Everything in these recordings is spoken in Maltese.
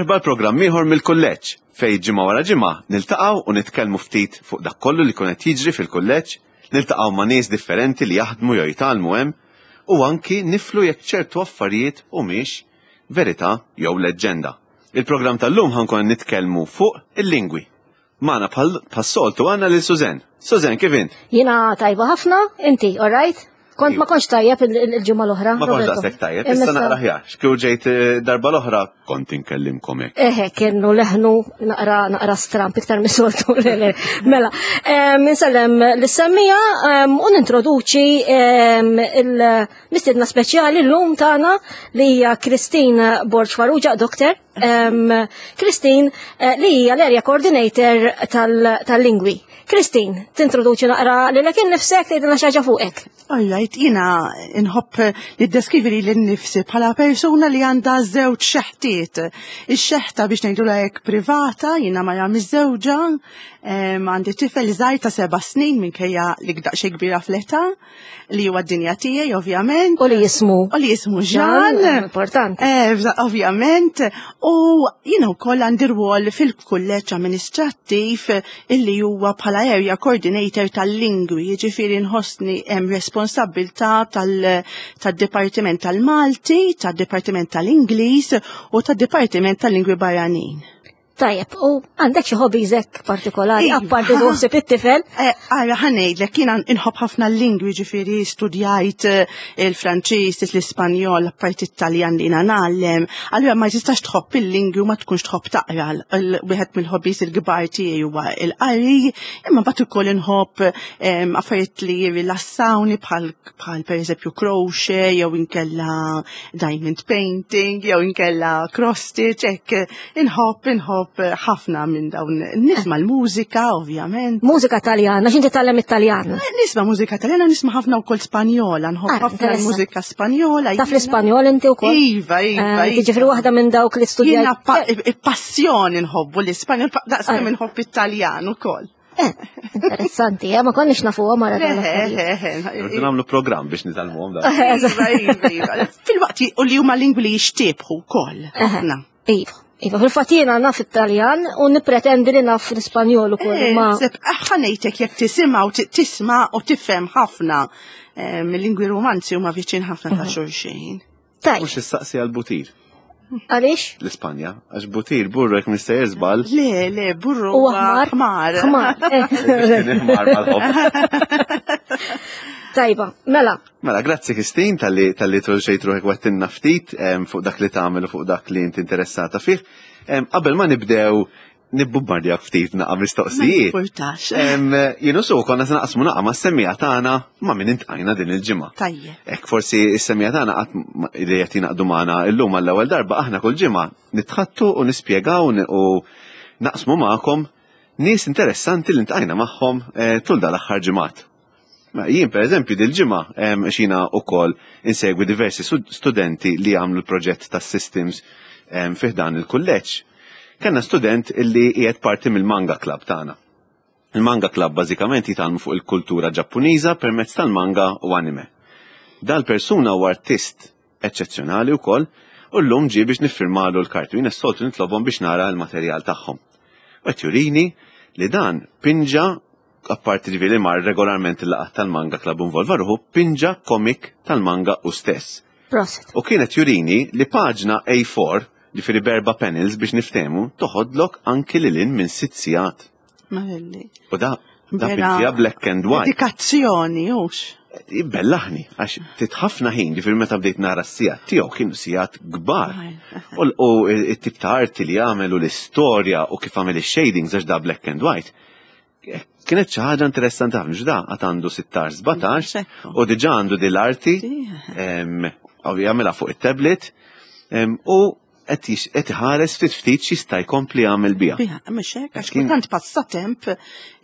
Merħba l-programm ieħor mill-kulleġġ fejn ġimgħa wara ġimgħa niltaqgħu u nitkellmu ftit fuq dak kollu li jkun qed jiġri fil-kulleġġ, niltaqgħu ma' nies differenti li jaħdmu jew jitgħallmu hemm u anki niflu jekk ċertu affarijiet humiex verità jew leġġenda. Il-programm tal-lum ħa nkun nitkellmu fuq il-lingwi. Magħna bħas-soltu għandna lil Suzen. Suzen, kif int? Jiena tajba ħafna, inti, all right? Kont ma kontx tajjeb il-ġimgħa l-oħra. Ma kontx daqshekk tajjeb, issa naqra ħjar. X'kieku ġejt eh, darba l-oħra kont inkellimkom hekk. Eħe, kienu leħnu naqra naqra stramp iktar mis-soltu. Mela, insellem l-semmija u nintroduċi il-mistiedna speċjali llum tagħna li hija Christine Borg Farrugia, doktor. Christine eh, li hija l-area coordinator tal-lingwi. Christine, tintroduċi naqra li l nifsek tgħidilna xi ħaġa fuqek. All right, jiena nħobb niddeskrivi li l-nifsi bħala persuna li għandha żewġ xeħtiet. Ix-xeħta biex ngħidu hekk privata, jiena mara miżżewġa, għandi tifel żgħir ta' seba' snin minkejja li daqsxejn kbira fl-età. li huwa d-dinja tiegħi ovvjament. U li jismu. U li jismu Jean. Importanti. Eh, ovvjament. U jiena wkoll għandi rwol fil-kulleġġ amministrattiv illi huwa bħala area coordinator tal-lingwi, jiġifieri nħossni hemm responsabbiltà tad-Dipartiment tal-Malti, tad-Dipartiment tal-Ingliż u tad-Dipartiment tal-Lingwi Barranin. Tajjeb, u għandek xi hobbies hekk partikolari, iva. apparti tuħsib it-tifel? Eh, ara ħa ngħidlek, jiena inħobb ħafna l-lingwi ġifieri studjajt eh, il-Franċiż, l-Ispanjol, apparti it-Taljan li jiena ngħallem. Allura ma tistax tħobb il-lingwi u ma tkunx tħobb taqra. Wieħed mill-hobbies il-kbar tiegħi huwa il-qari, imma mbagħad ukoll inħobb affarijiet li jirrilassawni bħal bħal pereżempju crochet jew inkella diamond painting jew inkella cross stitch hekk Inħobb, inħobb ħafna minn dawn. Nisma l-mużika, ovvjament. Mużika taljana, x'inti tallem it-Taljan? Eh, nisma mużika taljana, nisma ħafna wkoll Spanjola, nħobb ah, ħafna l-mużika Spanjola. Taf l-Ispanjol inti wkoll? Iva, iva. Eh, iva. Jiġifieri waħda minn dawk li studja. Jiena passjoni nħobbu l-Ispanjol, daqs kemm ah. inħobb it-Taljan ukoll. Eh, interessanti, eh, ma konniex nafuhom mara. Rridu nagħmlu programm biex nitalmuhom da. Iva, iva, iva. Fil-waqt u li huma lingwi li jixtiebħu wkoll. Iva. Iva, fil-fatt jiena naf it-Taljan u nippretendi li naf l-Ispanjol ukoll. Eh, ma ħanejtek jekk tisimgħu tisma' u tifhem ħafna mill-lingwi romanzi huma viċin ħafna ta' mhm. xulxin. Tajb. Mhux issaqsi għal butir. Għaliex? L-Ispanja, għax butir burru jekk nista' żball. Le, le, burru. U aħmar. Ħmar. Ħmar. Ħmar mal-ħobb. Tajba, mela. Mela, grazzi Kristin tal-li tal-li troġġejt ruħek wettinna ftit fuq dak li tagħmel u fuq dak li inti interessata fih. Qabel ma nibdew nibbumbardjak ftit naqa' mistoqsijiet. Importax. Jienu su konna se naqsmu naqa' mas-semmija tagħna ma' min intqajna din il-ġimgħa. Tajjeb. Hekk forsi s-semmija tagħna qatt li qed jingħaqdu magħna llum għall-ewwel darba aħna kull ġimgħa nitħattu u nispjegaw u naqsmu magħkom nies interessanti li ntqajna magħhom eh, tul dal-aħħar ġimgħat. Mela, jien per eżempju dil-ġimgħa xina wkoll insegwi diversi studenti li għamlu l-proġett tas systems fih dan il-kulleġġ. Kellna student illi qiegħed parti mill-manga club tagħna. Il-manga club bażikament jitgħallmu fuq il-kultura Ġappuniża permezz tal-manga u anime. Dal-persuna huwa artist eċċezzjonali wkoll u llum ġie biex niffirmalu l-karti u jien s-soltu nitlobhom biex nara l-materjal tagħhom. U qed jurini li dan pinġa apparti ġifieri mar regolarment il-laqgħat tal-Manga Club involva ruħu, pinġa komik tal-manga u stess. Prosit. U kienet jurini li paġna A4, ġifieri berba panels biex niftehmu, toħodlok anki lil hinn minn sitt sigħat. Marelli. U da da pinġija black and white. Dedikazzjoni, hux. Bellaħni, għax titħafna ħin, ġifieri meta bdejt nara s-sigħat tiegħu kienu sigħat kbar. U t-tip ta' arti li għamel u l-istorja u kif għamel ix-shadings għax da black and white. Kienet xi ħaġa interessanti ħafna x'da għad għandu 16 17 u diġà għandu din l-arti jagħmilha fuq it-tablet u qed iħares ftit ftit x'jista' jkompli jagħmel biha. Biha, mhux hekk, għax kultant passatemp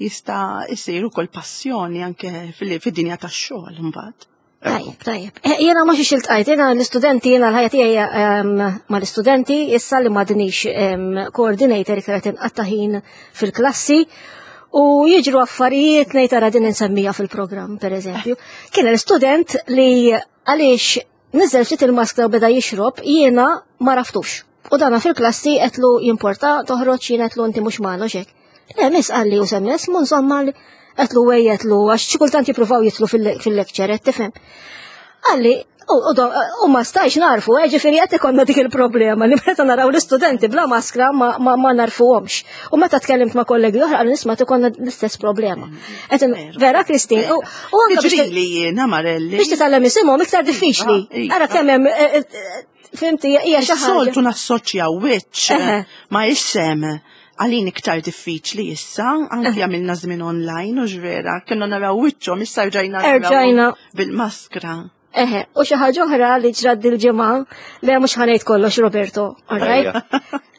jista' jsir ukoll passjoni anke fid-dinja tax-xogħol imbagħad. Tajjeb, tajjeb. Eh, jena ma xiex iltqajt, jena l-istudenti, jena l-ħajja tiegħi ehm, ma l-istudenti, issa li madnix ehm, coordinator iktar qed inqatta' ħin fil-klassi u jiġru affarijiet ngħid ara din insemmija fil-programm, per eżempju. Kien l-istudent li għaliex niżel ftit il-maskra u beda jixrob, jiena ma raftux. U dana fil-klassi għedtlu jimporta toħroġ jien għedtlu inti mhux magħna xek. Le, miss qalli u semmes, mu insomma għedtlu wej għedtlu għax xi kultant jippruvaw jitlu fil-lecture, qed tifhem. Qalli, u ma stajx narfu, eh, ġifieri qed ikollna dik il-problema li meta naraw l-istudenti bla maskra ma narfuhomx. U meta tkellimt ma' kollegi oħra qalu nisma' ikollna l-istess problema. Vera, Kristin, u anke biex li jiena Marelli. Biex titgħallem isimhom iktar diffiċli. Ah, Ara kemm hemm eh, eh, Fimti, hija xi ħaġa. Soltu nassoċja wiċċ ma isem għalin iktar diffiċli issa, anki għamilna żmien online u ġvera, kienna naraw wiċċhom issa rġajna rġajna bil-maskra. Eħe, u xi ħaġa oħra li ġrad dil-ġimgħa, li mhux ħanejt kollox Roberto, all right?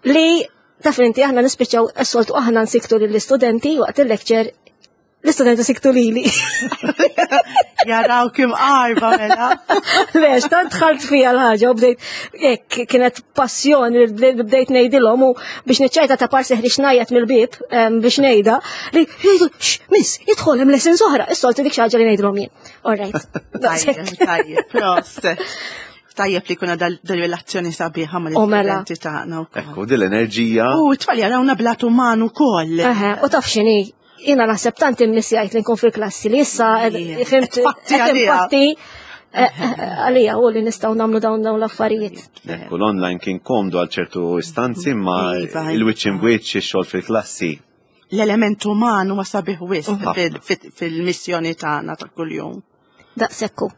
Li taf inti aħna nispiċċaw s-soltu aħna nsiktu lill-istudenti waqt il-lecture L-istudenti siktu lili. Jaraw kim qarba mela. Lex, tant dħalt fija l-ħaġa u bdejt, hekk kienet passjoni li bdejt ngħidilhom u biex niċċajta ta' parsi ħriġ ngħajjat mill-bieb biex ngħidha li jgħidu, miss, jidħol hemm lessons oħra, is-soltu dik xi ħaġa li ngħidilhom jien. All right. Tajjeb, tajjeb, proset. Tajjeb li kuna dal-relazzjoni sabiħa ma mela. l-istudenti tagħna wkoll. Ekku, din l-enerġija. U t-tfal jarawna blat uman ukoll. U taf x'inhi, Jiena naħseb tant immissjajt li nkun fil-klassi li issa fimt infatti eh, eh, għalija u li nistgħu nagħmlu dawn dawn l-affarijiet. Ekku l-online kien komdu għal ċertu istanzi ma iva, il-wiċċ in wiċċ ix-xogħol fil-klassi. L-element uman huwa sabiħ wisq fil-missjoni tagħna ta' kuljum. Daqsekku.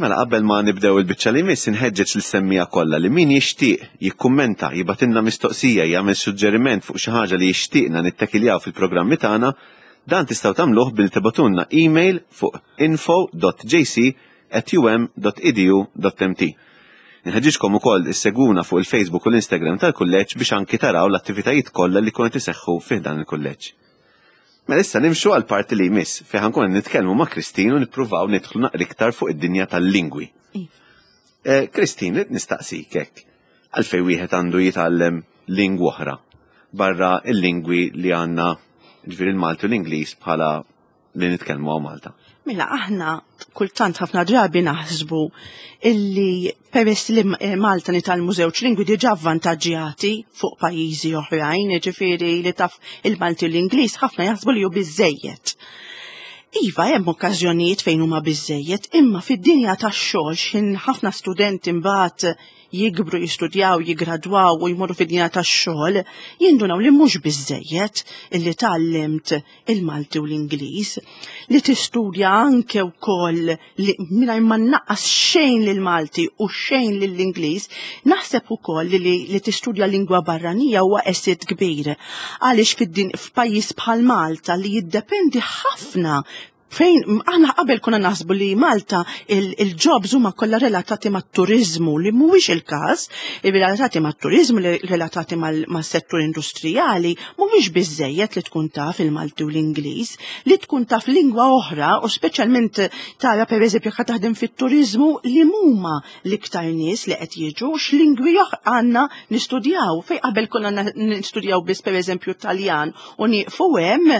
Mela qabel ma nibdew il-biċċa li jmiss inħeġġeġ lis-semmiegħa kollha li min jixtieq jikkummenta, jibgħatilna mistoqsija, jagħmel suġġeriment fuq xi ħaġa li jixtieqna nittakiljaw fil-programmi tagħna, dan tistgħu tagħmluh billi tibgħatulna email fuq info.jc@um.edu.mt. Inħeġġiġkom ukoll issegwuna fuq il-Facebook u l-Instagram tal-kulleġġ biex anki taraw l-attivitajiet kollha li jkunu qed iseħħu fi ħdan il-kulleġġ. Mela issa nimxu għal parti li jmiss fejn ħankun qed nitkellmu ma' Christine u nippruvaw nidħlu naqra iktar fuq id-dinja tal-lingwi. Iva. Eh, Christine, nistaqsik hekk. Għalfejn wieħed għandu jitgħallem lingwa oħra barra il-lingwi li għandna ġifieri il-Malti u l-Ingliż bħala li nitkellmu hawn Malta? Mela aħna kultant ħafna drabi naħsbu illi peress li eh, Malta nitgħallmu żewġ lingwi diġà avvantaġġjati fuq pajjiżi oħrajn, jiġifieri li taf il-Malti u l-Ingliż ħafna jaħsbu li hu biżejjed. Iva, hemm okkażjonijiet fejn huma biżejjed, imma fid-dinja tax-xogħol x'ħin ħafna studenti mbagħad jikbru, jistudjaw, jigradwaw u jmorru fid-dinja tax-xogħol, jindunaw li mhux biżejjed illi tgħallimt il-Malti u l-Ingliż, li tistudja anke wkoll li mingħajr ma nnaqqas xejn lill-Malti u xejn lill-Ingliż, naħseb ukoll li, li, li tistudja lingwa barranija huwa asset kbir. Għaliex fid-din f'pajjiż bħal Malta li jiddependi ħafna fejn aħna qabel konna naħsbu li Malta il-jobs huma kollha relatati mat-turiżmu li mhuwiex il-każ, relatati mat-turiżmu li relatati mas-settur industrijali mhuwiex biżejjed li tkun taf il-Malti u l-Ingliż, li tkun taf lingwa oħra u speċjalment tara pereżempju jekk taħdem fit-turiżmu li huma l-iktar nies li qed jiġu x'lingwi għandna nistudjaw fejn qabel konna nistudjaw biss pereżempju Taljan u nieqfu hemm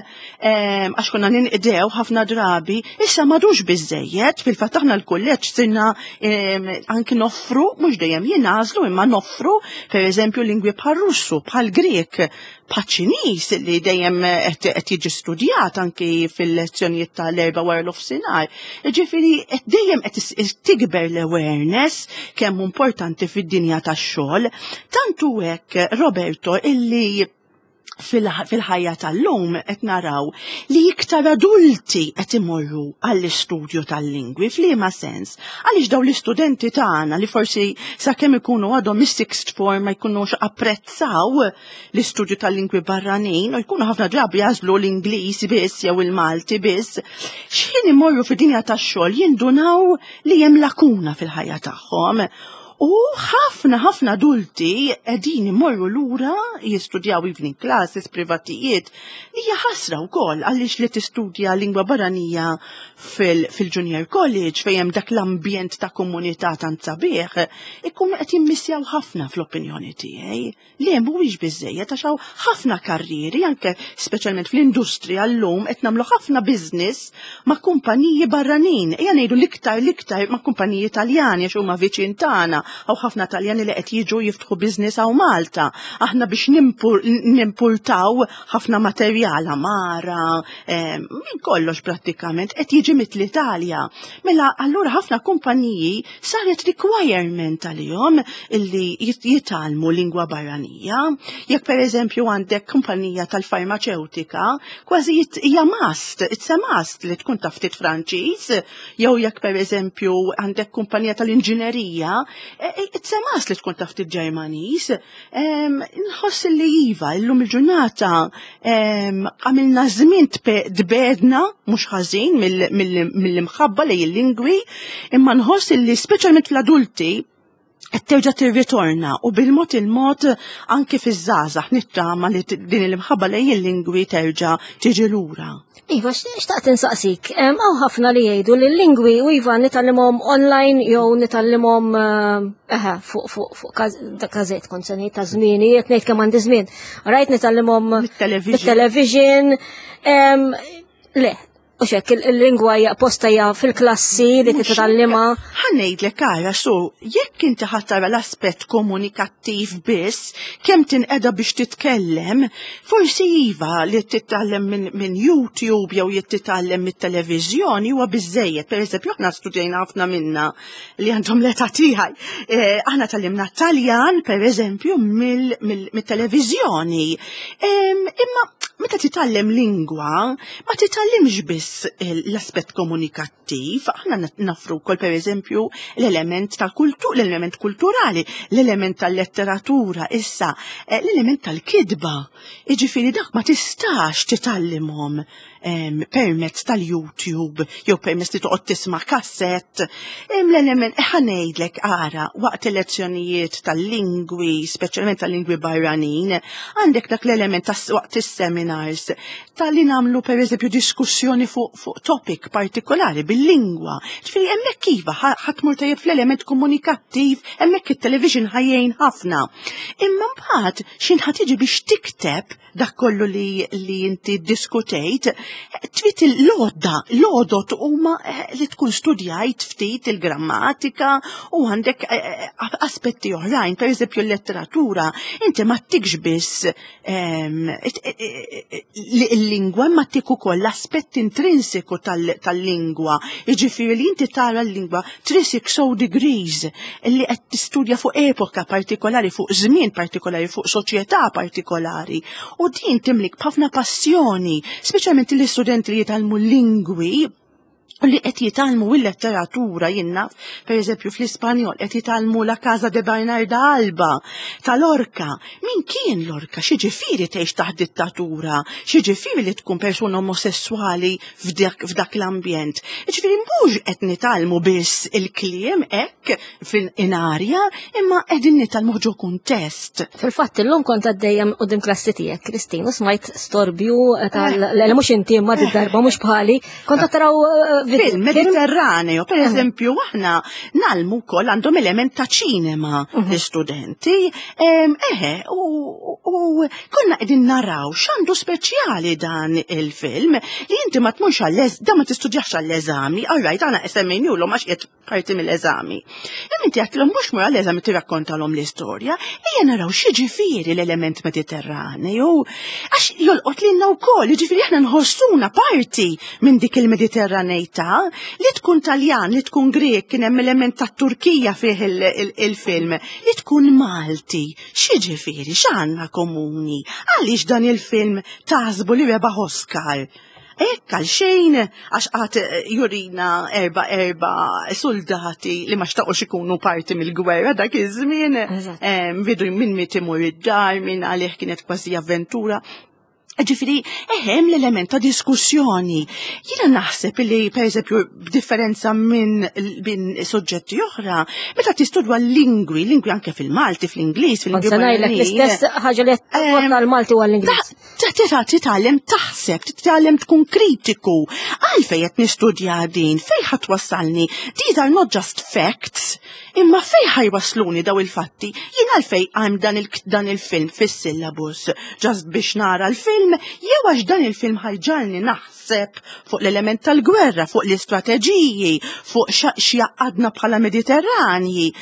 għax konna ninqdew ħafna drabi, issa madux biżejjed, fil-fatt aħna l-kulleġġ sirna anki noffru, mhux dejjem jingħażlu imma noffru pereżempju lingwi bħal Russu, bħal Grek, bħal Ċiniż li dejjem qed jiġi studjat anki fil-lezzjonijiet tal-erba' wara l-ofsinhar. Ġifieri qed dejjem qed tikber l-awareness kemm importanti fid-dinja tax-xogħol. Tant hu hekk Roberto illi fil-ħajja tal-lum qed naraw li iktar adulti qed imorru għall-istudju tal-lingwi f'liema sens. Għaliex dawn l-istudenti tagħna li forsi sakemm ikunu għadhom is-sixth form ma jkunux apprezzaw l-istudju tal-lingwi barranin u jkunu ħafna drabi jagħżlu l-Ingliż biss jew il-Malti biss, x'ħin imorru fid-dinja tax-xogħol jindunaw li hemm lakuna fil-ħajja tagħhom. U ħafna ħafna adulti qegħdin imorru lura jistudjaw evening classes, privatijiet, li hija ħasra wkoll għaliex li tistudja lingwa barranija fil-junior college fejn hemm dak l-ambjent ta' komunità tant sabiħ, ikunu qed jimmissjaw ħafna fl-opinjoni tiegħi. Le mhuwiex biżejjed għax hawn ħafna karrieri anke speċjalment fl-industrija llum qed nagħmlu ħafna business ma' kumpaniji barranin. Ejja ngħidu l-iktar l-iktar ma' kumpaniji Taljani għax huma viċin tagħna. Hawn ħafna Taljani li qed jiġu jiftħu business hawn Malta. Aħna biex nimpurtaw ħafna materjal, għamara, minn kollox prattikament qed jiġi mill-Italja. Mela allura ħafna kumpaniji saret requirement għalihom illi jitgħallmu lingwa barranija. Jekk pereżempju għandek kumpanija tal-farmaċewtika, kważi hija must, it's a must li tkun taf ftit Franċiż, jew jekk pereżempju għandek kumpanija tal-inġinerija, it's a must li tkun taf ftit Ġermaniż. Nħoss li iva, illum il-ġurnata għamilna żmien tbedna mhux ħażin mill-imħabba lejn il-lingwi, imma nħoss li speċjalment fl-adulti qed terġa' tirritorna u bil-mod il-mod anki fiż-żgħażagħ nittama li din il-imħabba lejn il-lingwi terġa' tiġi lura. Iva, xtaqt insaqsik, hawn ħafna li jgħidu li l-lingwi u iva nitgħallimhom online jew nitgħallimhom eħe fuq fuq fuq każett kont se ngħid ta' żmieni, qed ngħid kemm għandi żmien. Rajt nitgħallimhom mit-television. Le, U xek, il-lingwa hija posta hija fil-klassi li titgħallimha. Ħa ngħidlek ara, so jekk inti ħa tara l-aspett komunikattiv biss, kemm tinqeda biex titkellem, forsi iva li titgħallem minn YouTube jew jekk titgħallem mit-televiżjoni huwa biżejjed. Pereżempju, aħna studjajna ħafna minna li għandhom l-età tiegħi. Aħna tgħallimna Taljan, pereżempju, mit-televiżjoni. Imma meta titgħallem lingwa, ma titgħallimx biss l-aspett komunikattiv, aħna nafru wkoll pereżempju l-element tal-kultur, l-element kulturali, l-element tal-letteratura, issa l-element tal-kitba. Jiġifieri dak ma tistax titgħallimhom permezz tal-YouTube jew permezz li toqgħod tisma' kassett. L-element ħa ngħidlek ara waqt il-lezzjonijiet tal-lingwi, speċjalment tal-lingwi barranin, għandek dak l-element waqt is-seminars tal-li nagħmlu pereżempju diskussjoni fuq fu topic partikolari bil-lingwa. Ġifieri hemmhekk iva ħa tmur tajjeb fl-element komunikattiv, hemmhekk it-television ħa jgħin ħafna. Imma mbagħad x'ħin ħa tiġi biex tikteb dak kollu li, li inti diskutejt, trid il-lodda, l-għodot huma li tkun studjajt ftit il-grammatika u għandek aspetti oħrajn, per eżempju l-letteratura, inti ma ttikx biss il-lingwa, ma ttik ukoll l-aspett intrinsiku tal-lingwa, jiġifieri li inti tara l-lingwa 360 degrees li qed tistudja fuq epoka partikolari, fuq żmien partikolari, fuq soċjetà partikolari. U din timlik b'ħafna passjoni, speċjalment l-istudenti li jitgħallmu lingwi u li qed jitgħallmu il-letteratura jien naf, per eżempju fl-Ispanjol qed jitgħallmu La Casa de Bernarda Alba ta' Lorca. Min kien Lorca? X'jiġifieri tgħix taħt dittatura? X'jiġifieri li tkun persuna omosessuali f'dak, f'dak l-ambjent? Jiġifieri mhux qed nitgħallmu biss il-kliem hekk fil-inarja, imma qegħdin nitgħallmu ġo kuntest. Fil-fatt illum kont għaddejja quddiem klassi tiegħek, Kristin, u smajt storbju tal le mhux inti imma darba mhux bħali. Kont taraw film Mediterraneo, per eżempju, aħna ngħallmu wkoll għandhom element ta' ċinema l-istudenti. Eħe, u konna qegħdin naraw x'għandu speċjali dan il-film li inti ma tmurx għall da ma tistudjax għall-eżami, all right, aħna semmejniehulhom għax qiegħed parti mill-eżami. Imma inti għedtilhom mhux mur għall-eżami tirrakkontalhom l-istorja, ejja naraw x'jiġifieri l-element Mediterraneu, għax jolqot lilna wkoll, jiġifieri aħna nħossuna parti minn dik il-Mediterraneità, li tkun Taljan, li tkun Grek, kien hemm element tat-Turkija fih il-film, li tkun Malti, x'jiġifieri, x'għandna komuni, għaliex dan il-film taħsbu li rebaħ Oscar? Hekk għal xejn, għax qatt jurina erba soldati li ma xtaqux ikunu parti mill-gwerra dak iż-żmien. Vidu minn miet imur id-dar, minn għalih kienet kważi avventura. Ġifieri, eħem l-element ta' diskussjoni. Jiena naħseb li, per eżempju, b'differenza minn soġġetti oħra, meta tistudwa l-lingwi, lingwi anke fil-Malti, fl-Ingliż, fil-lingwi. Kont se ngħidlek l-istess ħaġa li għal-Malti u għall-Ingliż. Titgħallem taħseb, titgħallem tkun kritiku. Għalfejn qed nistudja din, fejn ħa twassalni? These are not just facts, imma fejn ħa jwassluni daw il-fatti? Jien għalfejn għam dan il-film fis-syllabus, just biex nara l-film, jew għax dan il-film ħa jġagħalni naħseb. taħseb fuq l-element tal-gwerra, fuq l-istrateġiji, fuq x'jaqadna bħala Mediterranji.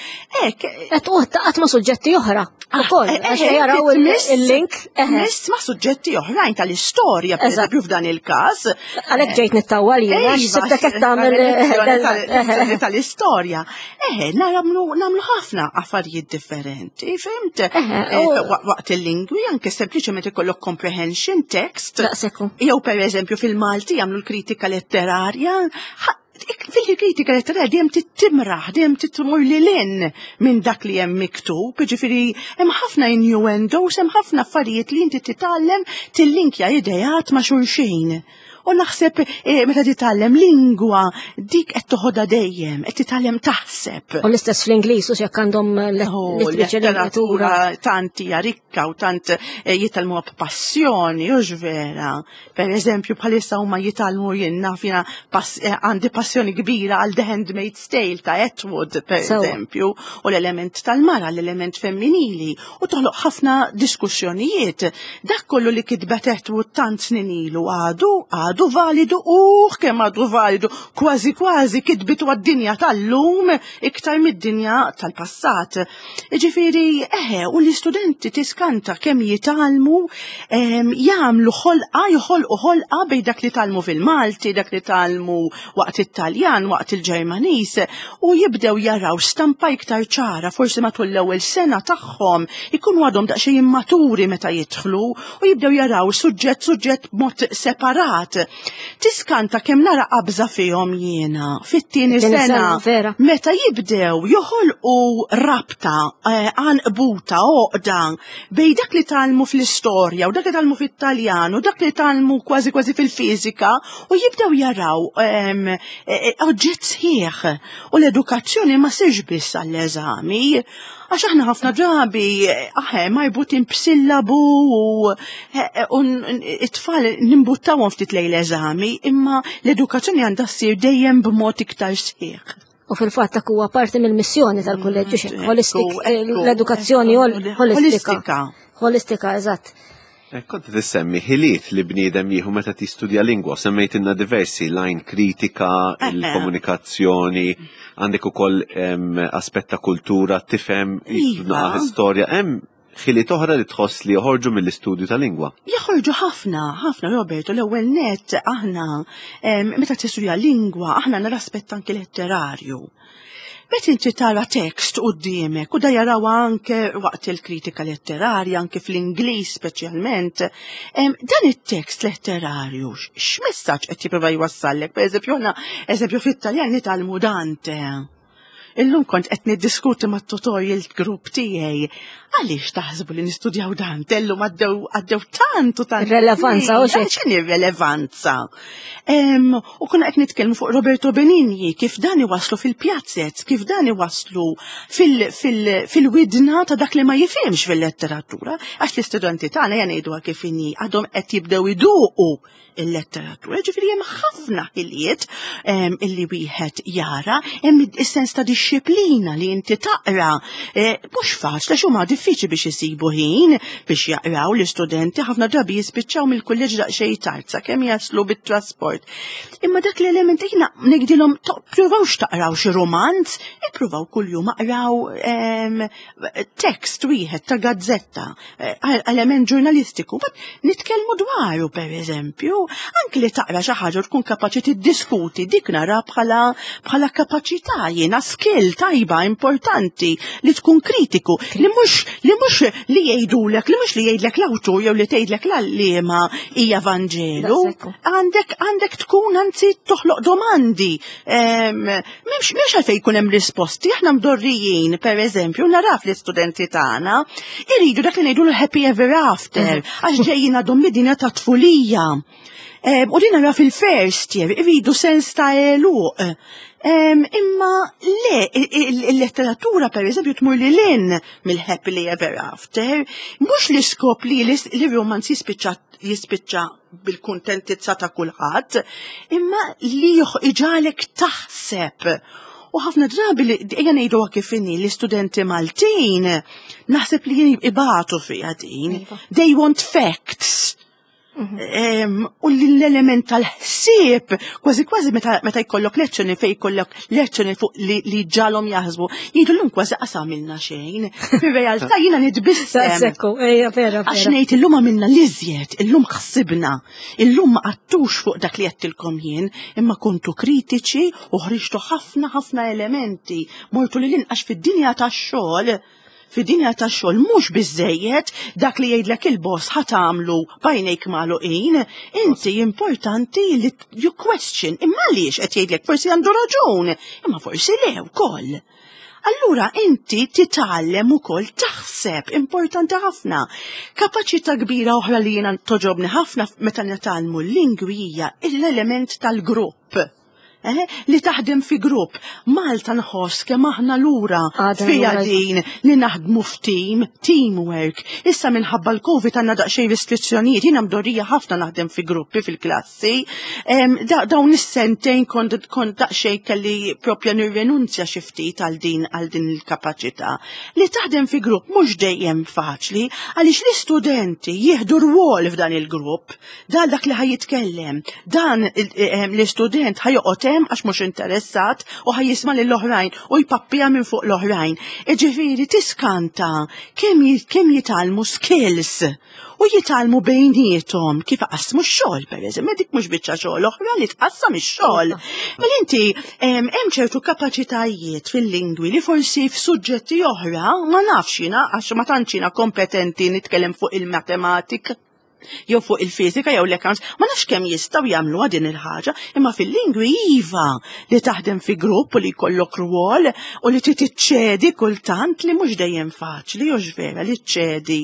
Ek. Qed qatt ma' suġġetti oħra. Ah, ukoll, eh, għax eh, jaraw il-link. Miss ma' suġġetti oħrajn tal-istorja, per eżempju f'dan il-każ. Għalhekk ġejt nittawwal jien, għax sibtek qed tagħmel tal-istorja. Eħe, nagħmlu ħafna affarijiet differenti, fimt? Waqt il-lingwi anke sempliċement ikollok comprehension text. Jew per eżempju fil-Malti jagħmlu l-kritika letterarja, fil-kritika letterarja dejjem tittimraħ, dejjem titmur lil hinn minn dak li hemm miktub, ġifieri hemm ħafna innuendos, hemm ħafna affarijiet li inti titgħallem tillinkja ideat ma' xulxin. U naħseb eh, meta titgħallem lingwa dik qed toħodha dejjem, qed titgħallem taħseb. U l-istess fl-Ingliż u jekk għandhom oh, letteratura tant hija rikka u tant eh, jitgħallmuha b'passjoni, u vera. Per eżempju, bħalissa huma jitgħallmu jien naf jiena eh, għandi passjoni kbira għal The Handmaid's Tale ta' Atwood, per eżempju, u l-element tal-mara, l-element femminili, u toħloq ħafna diskussjonijiet. Dak kollu li kitbet Atwood tant snin ilu għadu, għadu validu, u kemm għadu validu, kważi kważi kitbitu għad-dinja tal-lum iktar mid-dinja tal-passat. Ġifieri, eħe, u l-istudenti tiskanta kemm jitgħallmu jagħmlu ħolqa, joħolqu ħolqa bejn dak li tgħallmu fil-Malti, dak li tgħallmu waqt it-Taljan, waqt il-Ġermaniż, u jibdew jaraw stampa iktar ċara, forsi matul l-ewwel sena tagħhom ikunu għadhom daqsxejn immaturi meta jidħlu u jibdew jaraw suġġett suġġett b'mod separat. Tiskanta kemm nara qabża fihom jiena fit-tieni sena meta jibdew joħolqu rabta eh, għanqbuta għoqda bej dak li talmu fl-istorja u dak li talmu fit-Taljan u dak li talmu kważi kważi fil-fiżika u jibdew jaraw ehm, eh, eh, oġġett sħiħ u l-edukazzjoni ma sirx biss għall-eżami Għax aħna ħafna drabi aħe marbutin b'sillabu u it-tfal nimbuttawhom ftit lejn l-eżami, imma l-edukazzjoni għandha ssir dejjem b'mod iktar sħiħ. U fil-fatt dak huwa parti mill-missjoni tal-kulleġġ mm, holistik, l-edukazzjoni holistika. Holistika, eżatt. Eh, kont tissemmi ħiliet li bniedem jieħu meta tistudja lingwa, semmejtilna diversi, lajn kritika, eh, eh. il-komunikazzjoni, għandek ukoll aspett ta' kultura, tifhem iva. istorja, hemm ħiliet oħra li tħoss li joħorġu mill-istudju ta' lingwa. Joħorġu ħafna, ħafna Roberto, l-ewwel net aħna meta tistudja lingwa aħna nara aspett anki letterarju. Meta inti tara tekst quddiemek u da jarawha anke waqt il-kritika letterarja, anke fl-Ingliż speċjalment, dan it-tekst letterarju x'messaġġ qed jipprova jwassallek? Pereżempju aħna eżempju fit-Taljan nitgħallmu Dante. Illum kont qed niddiskuti mat-tutorial group tiegħi Għaliex taħsbu li nistudjaw dan? Tellum għaddew għaddew tant u tant. Relevanza u xejn. X'inhi relevanza? U kuna qed nitkellmu fuq Roberto Benigni, kif dan iwaslu fil-pjazzez, kif dan iwaslu fil-widna ta' dak li ma jifhimx fil-letteratura, għax l-istudenti tagħna jgħiduha kif inhi għadhom qed jibdew iduqu il-letteratura. Ġifieri hemm ħafna ħiliet ehm, illi wieħed jara, hemm is-sens ta' dixxiplina li inti taqra. Eh, mhux faċli għax huma diffiċli biex isibu ħin biex jaqraw l-istudenti ħafna drabi jispiċċaw mill-kulleġġ daqsxejn tard sakemm jaslu bit-trasport. Imma dak l-element jiena ngħidilhom ppruvawx taqraw xi romanz, ippruvaw kuljum aqraw ehm, tekst wieħed ta' gazzetta, eh, element ġurnalistiku, bat nitkellmu dwaru per eżempju, anki li taqra xi ħaġa tkun kapaċi tiddiskuti dik nara bħala bħala kapaċità jiena skill tajba importanti li tkun kritiku li mhux li mhux li jgħidulek li mhux li jgħidlek l-awtur jew li tgħidlek l-għalliema hija Vanġelu. Għandek għandek tkun anzi toħloq domandi M'hemmx m'hemmx għalfejn jkun hemm risposti, aħna mdorrijin, per eżempju, naraf l-istudenti tagħna, iridu dak li ngħidu happy ever after, mhm. għax ġejjin għadhom mid-dinja ta' tfulija. U din nara fil-first year, iridu sens ta' eluq. Imma le, il-letteratura per eżempju tmur li lin mill-happily ever after, mhux l-iskop li l-romanz jispiċċa jispiċċa bil-kuntentizza ta' kulħadd, imma li iġalek taħseb. U ħafna drabi li ejja ngħidu kif inhi l-istudenti Maltin naħseb li jien ibatu fiha din. Iva. They want facts. U l-element tal-ħsieb, kważi kważi meta jkollok lezzjoni fejn jkollok lezzjoni fuq li ġalhom jaħsbu, jgħidu llum kważi qas għamilna xejn. Fir-realtà jiena nitbissem. Sekku, ejja vera. Għax ngħid illum għamilna l-iżjed, illum ħsibna, illum ma qattux fuq dak li għedtilkom jien, imma kontu kritiċi u ħriġtu ħafna ħafna elementi, mortu li l-inqax fid-dinja tax-xogħol. Fid-dinja tax-xogħol mhux biżejjed dak li jgħidlek il-boss ħa tagħmlu b'għajnejk magħluqin, inti importanti li you question imma għaliex qed jgħidlek forsi għandu raġun, imma forsi le wkoll. Allura inti titgħallem ukoll taħseb, importanti ħafna. Kapaċità kbira oħra li jiena toġobni ħafna meta nitgħallmu l-lingwi hija l-element tal-grupp. Li taħdem fi grupp. Malta nħoss kemm aħna lura fija din li naħdmu f'team, teamwork. Issa minħabba l-Covid għandna daqsxejn restrizzjonijiet, jiena mdorrija ħafna naħdem fi gruppi fil-klassi. Dawn is-sentejn kont daqsxejn kelli propja nirrenunzja xi ftit għal din għal din il-kapaċità. Li taħdem fi grupp mhux dejjem faċli għaliex l-istudenti jieħdu rwol f'dan il-grupp. Dan dak li ħaj jitkellem, dan l-istudent ħaj joqgħod hemm għax mhux interessat u ħaj jisma' lill-oħrajn u jpappija minn fuq l-oħrajn. Iġifieri tiskanta kemm jitgħallmu skills u jitgħallmu bejniethom kif qasmu x-xogħol pereżempju, dik mhux biċċa xogħol oħra li tqassam ix-xogħol. Mela inti hemm ċertu kapaċitajiet fil-lingwi li forsi f'suġġetti oħra ma nafx jiena għax ma tantx jiena kompetenti nitkellem fuq il-matematika jew fuq il-fiżika jew l-accounts, ma nafx kemm jistgħu jagħmluha din il-ħaġa, imma fil-lingwi iva li taħdem fi grupp u li jkollok rwol u li trid iċċedi kultant li mhux dejjem faċli u vera li ċċedi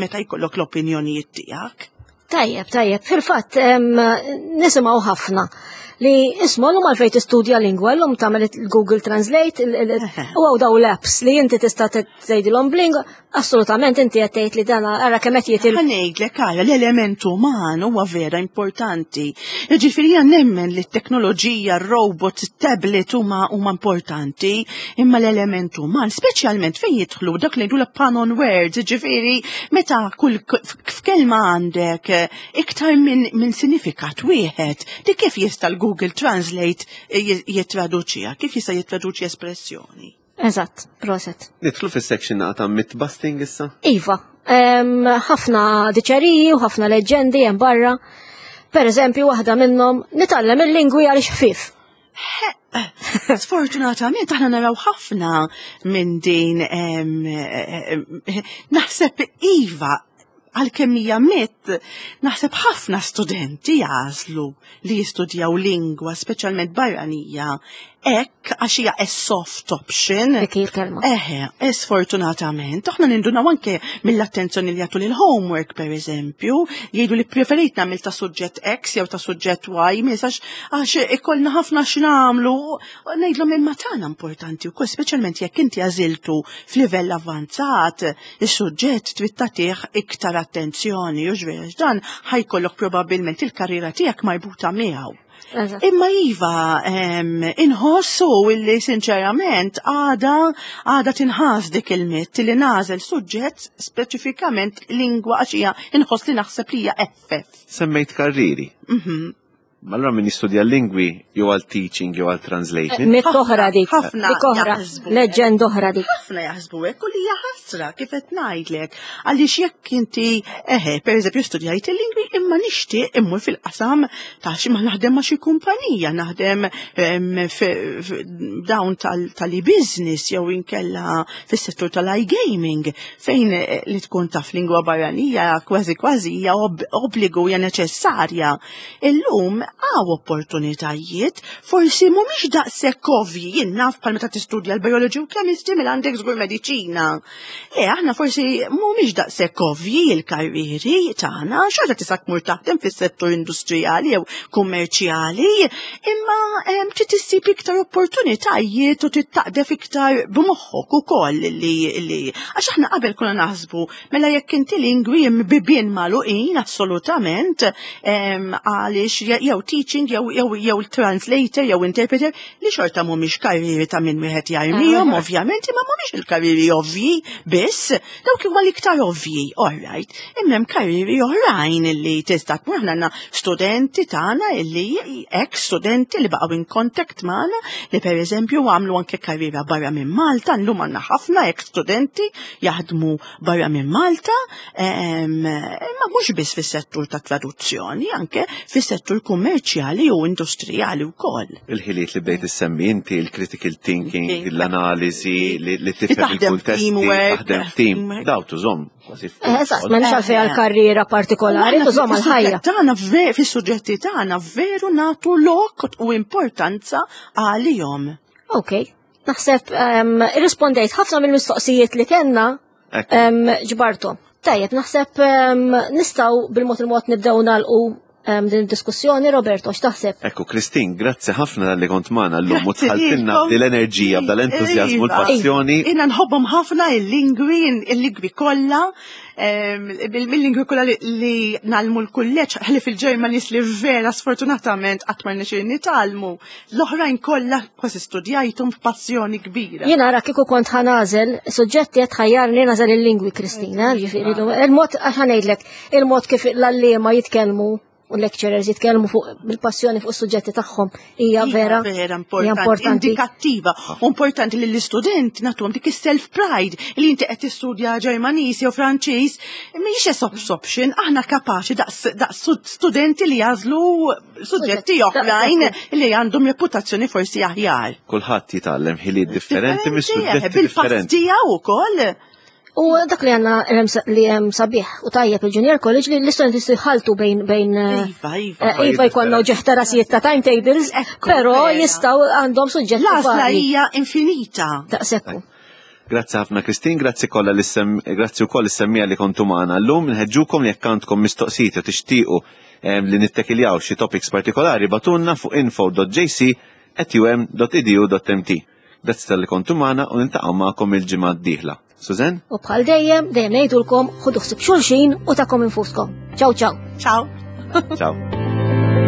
meta jkollok l-opinjonijiet tiegħek. Tajjeb, tajjeb, fil-fatt nisimgħu ħafna li isma' l-lum għalfejn tistudja lingwa, l-lum tagħmel il-Google Translate, u għaw daw l-apps li inti tista' tgħidilhom b'lingwa, assolutament inti qed tgħid li dan ara kemm qed jitil. Ħa ngħidlek ara l-element uman huwa vera importanti. Jiġifieri jien nemmen li t-teknoloġija, r-robots, it-tablet huma huma importanti, imma l-element uman, speċjalment fejn jidħlu dak li ngħidu pun on words, jiġifieri meta kull f'kelma għandek iktar minn sinifikat wieħed, di kif jista' l-Google Translate jittraduċiha, kif jista' jittraduċi espressjoni? Eżatt, proset. Nidħlu fis-section ta' myth busting issa? Iva, ħafna diċeriji u ħafna leġendi hemm barra. Per eżempju, waħda minnhom nitgħallem il-lingwi għaliex ħfief. Sfortunatament aħna naraw ħafna minn din naħseb iva għalkemm hija mit, naħseb ħafna studenti jagħżlu li jistudjaw lingwa, speċjalment barranija, hekk għax hija a soft option. Dik il-kelma. Eħe, sfortunatament, aħna nindunaw anke mill-attenzjoni li jagħtu lil homework per eżempju, jgħidu li preferit nagħmel ta' suġġett X jew ta' suġġett Y, misax għax ikollna ħafna x'nagħmlu, ngħidlhom imma tagħna importanti wkoll, speċjalment jekk inti għażiltu f'livell avvanzat, is-suġġett trid tagħtih iktar attenzjoni, u ġvera dan ħa jkollok probabbilment il-karriera tiegħek marbuta miegħu. Imma iva, inħossu illi sinċerament għada tinħas dik il-mit li nagħżel suġġett speċifikament lingwa għax hija inħoss li naħseb li hija eħfef. Semmejt karriri. Ma allura min jistudja lingwi jew għal teaching jew għal translation. Mit oħra dik. Ħafna Dik oħra. jaħsbu. Leġend oħra dik. Ħafna jaħsbu hekk u li hija ħasra kif qed ngħidlek. Għaliex jekk inti eħe, pereżempju studjajt il-lingwi imma nixtieq immur fil-qasam ta' xi ma naħdem ma' xi kumpanija, naħdem dawn tal-e-business jew inkella fis-settur tal-iGaming fejn li tkun taf lingwa barranija kważi kważi hija obbligu hija neċessarja. Illum hawn opportunitajiet, forsi mhumiex daqshekk ovvji, jien naf bħal meta tistudja l-biology u chemistry mela għandek żgur mediċina. Le, aħna forsi mhumiex daqshekk ovvji l-karrieri tagħna, xorta tista' tmur taħdem fis-settur industrijali jew kummerċjali, imma trid issib iktar opportunitajiet u trid taqdef iktar b'moħħok ukoll li għax aħna qabel konna naħsbu mela jekk inti lingwi bibien magħluqin assolutament għaliex jew teaching jew jew jew translator jew interpreter li xorta mhumiex karrieri ta' min wieħed jarmihom ah. ovvjament imma mhumiex il-karrieri ovvji biss, dawk huma l-iktar ovvji, all right. Imma hemm karrieri oħrajn illi tista' tmur aħna għandna studenti tagħna illi ex studenti li baqgħu in contact magħna li pereżempju għamlu anke karriera barra minn Malta, llum għandna ħafna ex studenti jaħdmu barra minn Malta, imma mhux biss fis-settur ta' traduzzjoni, anke fis-settur kummerċjali u industrijali wkoll. Il-ħiliet li bdejt issemmi inti, il-critical thinking, l-analiżi, li tifhem il-kuntest, taħdem f'team, daw tużhom kważi. Eh, eżatt, m'hemmx għalfejn għal karriera partikolari, tużhom għal ħajja. Tagħna fis-suġġetti tagħna veru nagħtu lok u importanza għalihom. Ok, naħseb irrispondejt ħafna mill-mistoqsijiet li kellna ġbartom. Tajjeb, naħseb nistgħu bil-mod il-mod nibdew nagħlqu din id-diskussjoni, Roberto, x'taħseb? Ekku, Kristin, grazzi ħafna li kont magħna llum u tħaltilna b'dil-enerġija, b'dal-entużjażmu, l-passjoni. Jiena nħobbhom ħafna il-lingwi, il-lingwi kollha, mill-lingwi kollha li nagħllmu l-kulleġġ, ħlief il-Ġermaniż li vera sfortunatament qatt ma rnexxieli nitgħallmu. L-oħrajn kollha kważi studjajthom b'passjoni kbira. Jien ara kieku kont ħanażel, suġġetti qed tħajjarni nażel il-lingwi Kristina, ġifieri il-mod għax ħanejdlek, il-mod kif l-għalliema jitkellmu u lecturers jitkellmu fuq bil-passjoni fuq is-suġġetti tagħhom hija vera vera importanti, indikattiva u importanti li l-istudent nagħtuhom dik is-self pride li inti qed tistudja Ġermaniż jew Franċiż mhijiex option aħna kapaċi daqs studenti li jażlu suġġetti oħrajn li għandhom reputazzjoni forsi aħjar. Kulħadd jitgħallem ħiliet differenti mis-suġġetti differenti. Bil-pass ukoll. U dak li għanna li hemm sabiħ u tajjeb il-Junior College li l-istudenti jistgħu jħaltu bejn bejn eh, Iva, iva. Eh, iva jkollna ġeħta rasijiet ta' timetables, però jistgħu għandhom suġġetti. L-għażla hija infinita. Daqshekk. Grazzi ħafna Kristin, grazzi kollha li sem grazzi wkoll is-semmija li kontu magħna llum. Nħeġġukom jekk għandkom mistoqsijiet jew tixtiequ li nittekiljaw xi topics partikolari batunna fuq info.jc@um.edu.mt. Grazzi talli kontu magħna u niltaqgħu magħkom il-ġimgħa d-dieħla. Susan? U bħal dejjem, dejjem ngħidulkom ħudu ħsieb xulxin u takom infuskom. Ciao ciao. Ciao. Ciao.